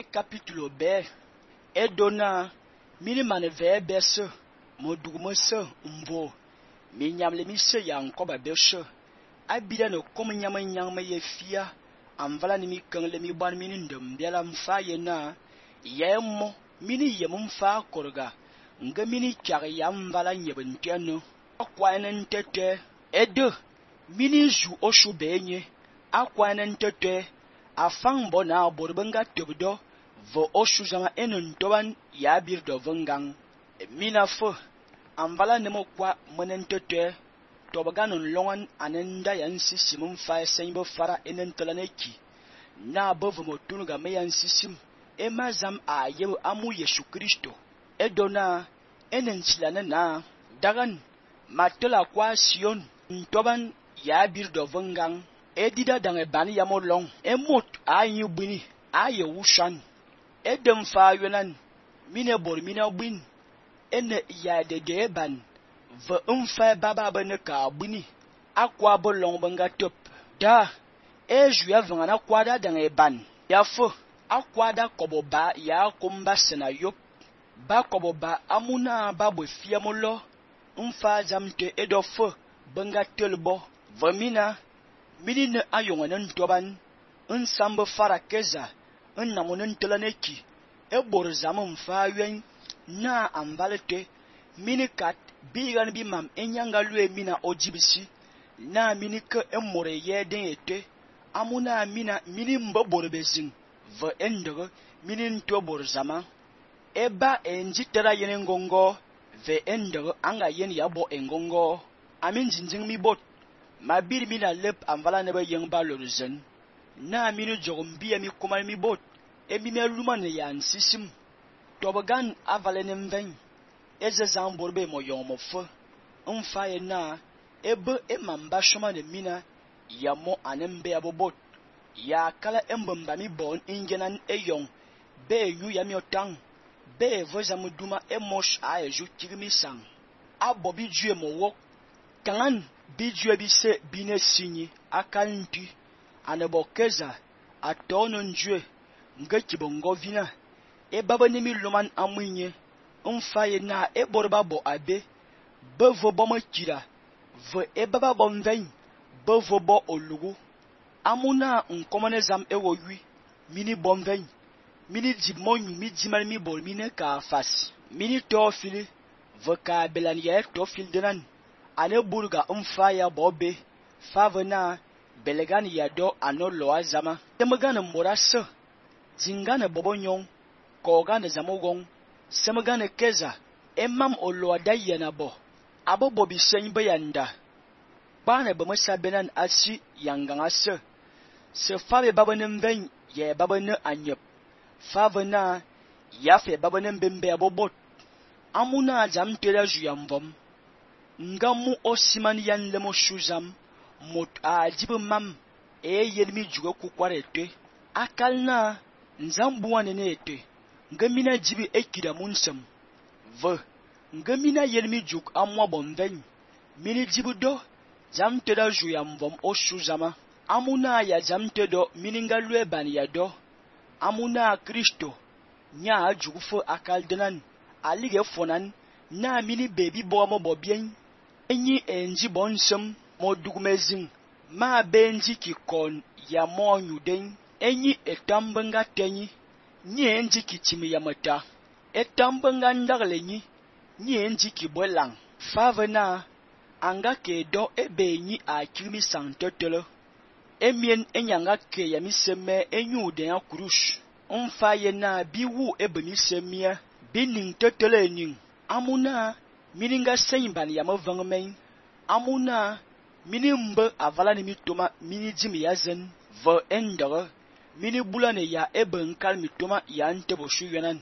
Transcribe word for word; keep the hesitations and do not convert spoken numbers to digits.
Capítulo B. Edona, mini man ve besse, mo dugme se, mbo, mi nyamle mi se yankoba beshe. Abida no kom nyama nyang me ye fia, amvala ni mi kangle mi ban mini ndem biala mfa ye na, ye mo, mini ye mfa korga, nga mini chag ya mvala nyebentiano. Akwanen tete, edo, mini ju oshu benye, akwanen tete, afang bona borbenga tebdo, vo oshu zama enun toban ya bir do vengang. Mina fo, amvala nemo kwa menen tete, tobaganun longan anenda yan sisim mfa senbo fara enen telaneki. Na bovo motunuga me yan sisim, ema zam a yebu amu Yesu Kristo. Edona, enen silane na, dagan, matela kwa Sion, ntoban ya bir do vengang. Edida dange bani ya molong, emot a yu bini, a ye wushan. Edem fa yunan, mine bor mine bin, ene ya de de ban, ve umfa baba bene ka bini, akwa bolong benga top. Da, e juya vangana kwada dange ban, ya fo, akwada kobo ba ya kumba sena yop, ba kobo ba amuna babo fiamolo, umfa zamte edofo, benga telbo, vemina, mini ne ayonganen toban, un sambo fara keza, un namonen telaneki, e borzam mfa yuen, na ambalete, mini kat, bigan bi mam enyanga lue mina ojibisi, na mini ke emore ye den ete, amuna mina mini mbo borbezing, ve endere, mini nto borzama, eba enji tera yen ngongo, ve endere anga yen yabo engongo, amin jinjing mi bot. Ma bir mi na lep amvala nebe yeng ba lorzen. Na minu jogum biya mi kumal mi bot. E mi me luman yan sisim. Tobagan avale nemven. Eze zamborbe mo yon mo fe. Mfaye na. Ebe e mamba shoma de mina. Ya mo anembe abobot. Ya kala embemba mi bon ingenan e yon. Be yu ya mi otang. Be voza muduma e mosh a e ju kirimi sang. Abobi jue mo wok. Kangan. Bijue bise bine sinyi akanti anebokeza atono njue ngekibongo vina e baba nimi luman amunye mfaye na e borba bo abe bevo bo makira ve e baba bo mven bevo bo olugu amuna nkomane zam e wowi mini bomven mini jimonyu mi jimal mi bol mine ka fas mini tofili ve ka belan ye tofil denan ane burga umfa ya bobe favena belegan ya do ano loa zama temagana morasa zingana bobonyon kogana zamogong semagana keza emam oloa dayana bo abo bobi senbe yanda bana bamasa benan asi yanganga se se fave babanem ven ye babane anyep favena yafe babanem bembe abobot amuna jam tela juyamvom ngamu osiman yan lemo shuzam mot a jibe mam e yelmi jugo kukwarete akalna nzambuane nete ngamina jibi ekida munsem ve ngamina yelmi juk amwa bomven mini jibudo jamte da juyam vom oshuzama amuna ya jamte do mininga lue ban ya do amuna Kristo nya jugufo akaldenan alige fonan na mini baby bomo bobien enyi enji bonsem modugmezing ma benji ki kon ya monyuden enyi etambenga tenyi nyi enji ki chimi yamata etambenga ndagle nyi nyi enji ki bolang favena anga ke do ebe nyi a kirimi santotelo emien enyanga ke yami seme enyu de akurush umfa na biwu ebe mi semia bining totele ning amuna mininga senban ya mavangmen amuna mini mbe avala ni mitoma mini jimi yazen ve endere mini bulane ya ebe nkal mitoma ya ntebo shuyenan